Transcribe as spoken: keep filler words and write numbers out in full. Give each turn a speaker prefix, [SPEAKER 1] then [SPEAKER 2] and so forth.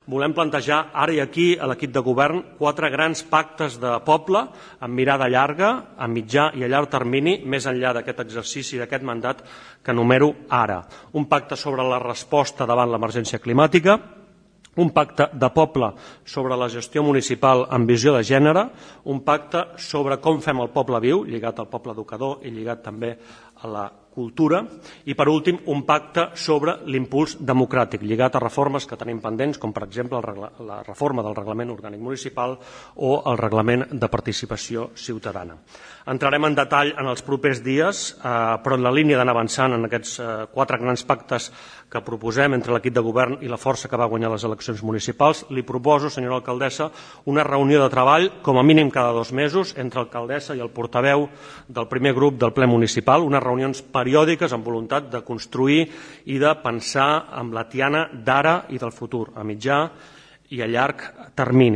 [SPEAKER 1] volem plantejar ara i aquí a l'equip de govern quatre grans pactes de poble amb mirada llarga, a mitjà i a llarg termini, més enllà d'aquest exercici d'aquest mandat que enumero ara. Un pacte sobre la resposta davant l'emergència climàtica, un pacte de poble sobre la gestió municipal amb visió de gènere, un pacte sobre com fem el poble viu, lligat al poble educador i lligat també a la cultura, i per últim un pacte sobre l'impuls democràtic, lligat a reformes que tenim pendents, com per exemple la reforma del reglament orgànic municipal o el reglament de participació ciutadana. Entrarem en detall en els propers dies, però en la línia d'anar avançant en aquests quatre grans pactes que proposem entre l'equip de govern i la força que va guanyar les eleccions municipals, li proposo, senyora alcaldessa, una reunió de treball, com a mínim cada dos mesos, entre l'alcaldessa i el portaveu del primer grup del ple municipal, unes reunions periòdiques amb voluntat de construir i de pensar amb la Tiana d'ara i del futur, a mitjà i a llarg termini.